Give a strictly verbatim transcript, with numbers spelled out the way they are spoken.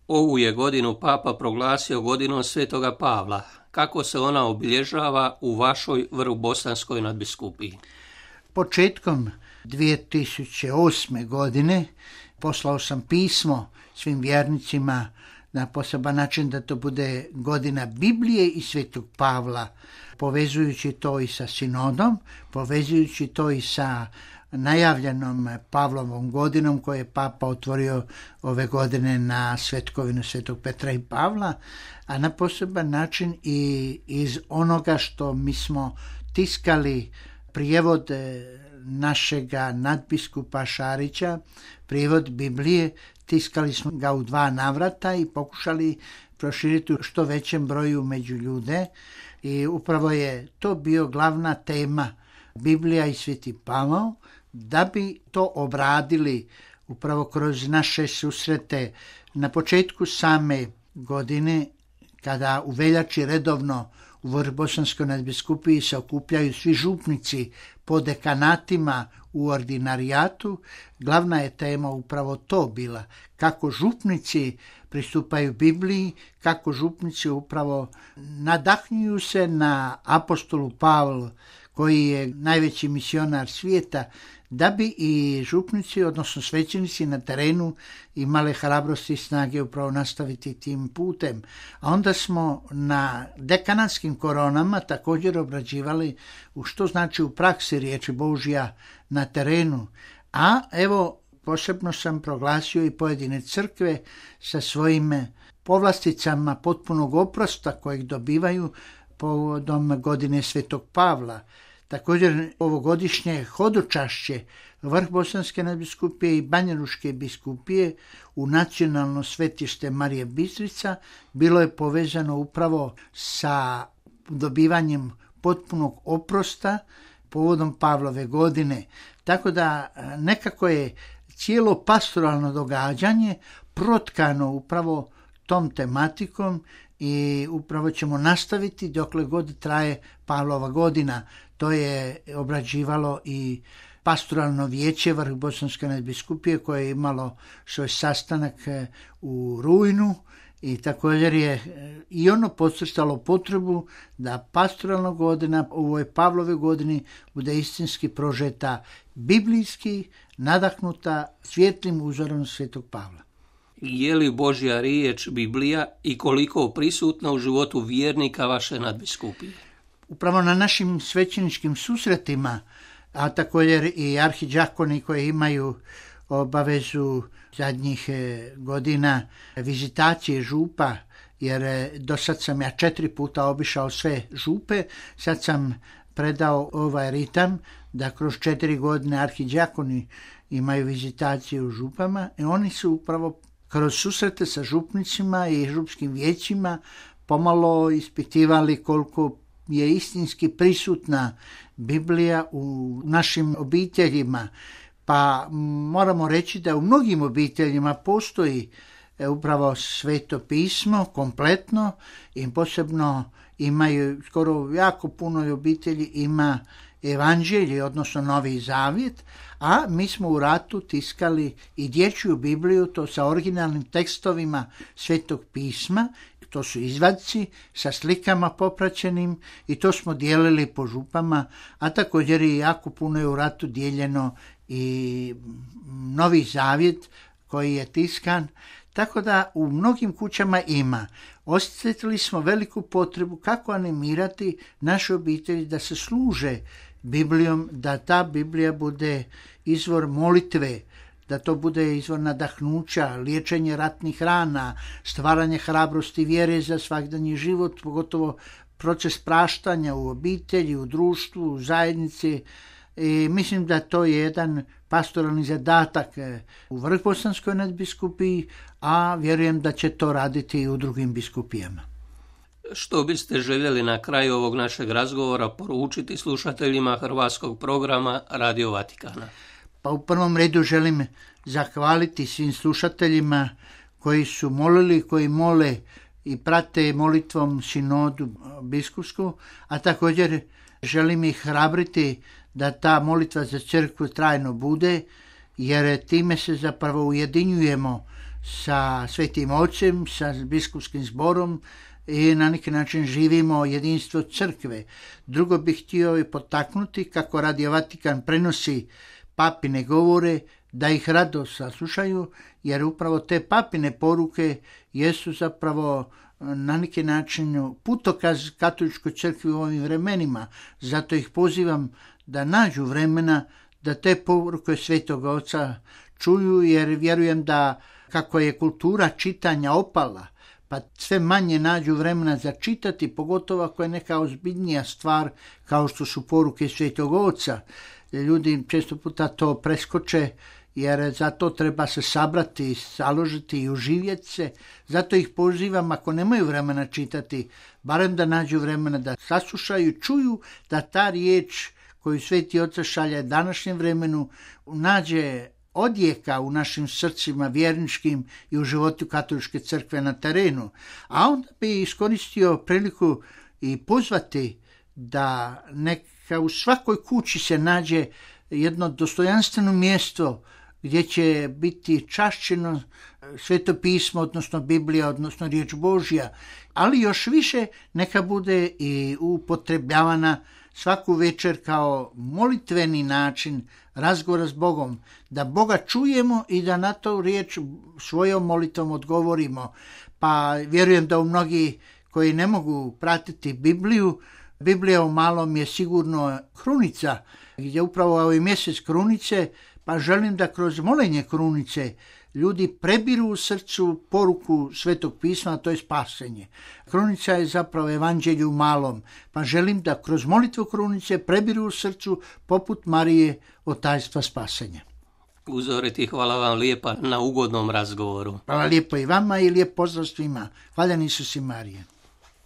Ovu je godinu Papa proglasio godinom Svetoga Pavla. Kako se ona obilježava u vašoj Vrbosanskoj nadbiskupiji? Početkom dvije tisuće osme. godine poslao sam pismo svim vjernicima na poseban način da to bude godina Biblije i Svetog Pavla, povezujući to i sa sinodom, povezujući to i sa najavljenom Pavlovom godinom koje je Papa otvorio ove godine na svetkovinu Svetog Petra i Pavla, a na poseban način i iz onoga što mi smo tiskali prijevod našega nadbiskupa Šarića, prijevod Biblije, tiskali smo ga u dva navrata i pokušali proširiti u što većem broju među ljude i upravo je to bio glavna tema Biblija i Sveti Pavao, da bi to obradili upravo kroz naše susrete na početku same godine, kada u veljači redovno u Vrbosanskoj nadbiskupiji se okupljaju svi župnici po dekanatima u ordinarijatu. Glavna je tema upravo to bila, kako župnici pristupaju Bibliji, kako župnici upravo nadahnjuju se na apostolu Pavlu, koji je najveći misionar svijeta, da bi i župnici, odnosno svećenici na terenu imale hrabrosti i snage upravo nastaviti tim putem. A onda smo na dekanatskim koronama također obrađivali u što znači u praksi riječi Božja na terenu. A evo, posebno sam proglasio i pojedine crkve sa svojim povlasticama potpunog oprosta kojeg dobivaju povodom godine Svetog Pavla. Također ovogodišnje hodočašće Vrbosanske nadbiskupije i Banjalučke biskupije u nacionalno svetište Marije Bistrica bilo je povezano upravo sa dobivanjem potpunog oprosta povodom Pavlove godine. Tako da nekako je cijelo pastoralno događanje protkano upravo tom tematikom i upravo ćemo nastaviti dokle god traje Pavlova godina. To je obrađivalo i pastoralno vijeće Vrbosanske nadbiskupije koje je imalo svoj sastanak u rujnu i također je i ono podcrtalo potrebu da pastoralna godina u ovoj Pavlove godini bude istinski prožeta biblijski, nadahnuta svjetlim uzorom Svetog Pavla. Je li Božja riječ Biblija i koliko prisutna u životu vjernika vaše nadbiskupije? Upravo na našim svećeničkim susretima, a također i arhidžakoni koji imaju obavezu zadnjih godina vizitacije župa, jer do sad sam ja četiri puta obišao sve župe, sad sam predao ovaj ritam da kroz četiri godine arhidžakoni imaju vizitaciju u župama i oni su upravo kroz susrete sa župnicima i župskim vijećima pomalo ispitivali koliko je istinski prisutna Biblija u našim obiteljima. Pa moramo reći da u mnogim obiteljima postoji upravo Sveto pismo kompletno i posebno imaju, skoro jako puno obitelji ima evanđelje, odnosno Novi Zavjet, a mi smo u ratu tiskali i dječju Bibliju, to sa originalnim tekstovima Svetog pisma, to su izvadci sa slikama popraćenim i to smo dijelili po župama, a također i jako puno je u ratu dijeljeno i Novi Zavjet koji je tiskan, tako da u mnogim kućama ima. Osjetili smo veliku potrebu kako animirati naše obitelji da se služe Biblijom, da ta Biblija bude izvor molitve, da to bude izvor nadahnuća, liječenje ratnih rana, stvaranje hrabrosti vjere za svakdanji život, pogotovo proces praštanja u obitelji, u društvu, u zajednici. I mislim da to je jedan pastoralni zadatak u Vrbosanskoj nadbiskupiji, a vjerujem da će to raditi i u drugim biskupijama. Što biste željeli na kraju ovog našeg razgovora poručiti slušateljima hrvatskog programa Radio Vatikana? Pa u prvom redu želim zahvaliti svim slušateljima koji su molili, koji mole i prate molitvom sinodu biskupsku, a također želim ih hrabriti da ta molitva za crkvu trajno bude, jer time se zapravo ujedinjujemo sa Svetim Ocem, sa biskupskim zborom i na neki način živimo jedinstvo crkve. Drugo bih htio i potaknuti kako Radio Vatikan prenosi papine govore, da ih rado saslušaju, jer upravo te papine poruke jesu zapravo na neki način putokaz katoličkoj crkvi u ovim vremenima. Zato ih pozivam da nađu vremena da te poruke Svetog Oca čuju, jer vjerujem da kako je kultura čitanja opala, pa sve manje nađu vremena za čitati, pogotovo ako je neka ozbiljnija stvar kao što su poruke Svetog Oca. Ljudi često puta to preskoče, jer za to treba se sabrati, založiti i uživjeti se. Zato ih pozivam, ako nemaju vremena čitati, barem da nađu vremena da saslušaju, čuju, da ta riječ koju Sveti Otac šalje današnjem vremenu nađe odjeka u našim srcima vjerničkim i u životu katoličke crkve na terenu. A onda bi iskoristio priliku i pozvati da neka u svakoj kući se nađe jedno dostojanstveno mjesto gdje će biti čašćeno Sveto pismo, odnosno Biblija, odnosno riječ Božja, ali još više neka bude i upotrebljavana svaku večer kao molitveni način razgovora s Bogom, da Boga čujemo i da na to riječ svojom molitvom odgovorimo. Pa vjerujem da u mnogi koji ne mogu pratiti Bibliju, Biblija u malom je sigurno krunica, gdje upravo ovaj mjesec krunice, pa želim da kroz molenje krunice ljudi prebiru u srcu poruku Svetog pisma, a to je spasenje. Krunica je zapravo evanđelje u malom, pa želim da kroz molitvu krunice prebiru u srcu poput Marije od tajstva spasenja. Uzoriti, hvala vam lijepa na ugodnom razgovoru. Hvala lijepo i vama i lijep pozdrav svima. Hvala Isus i Marije.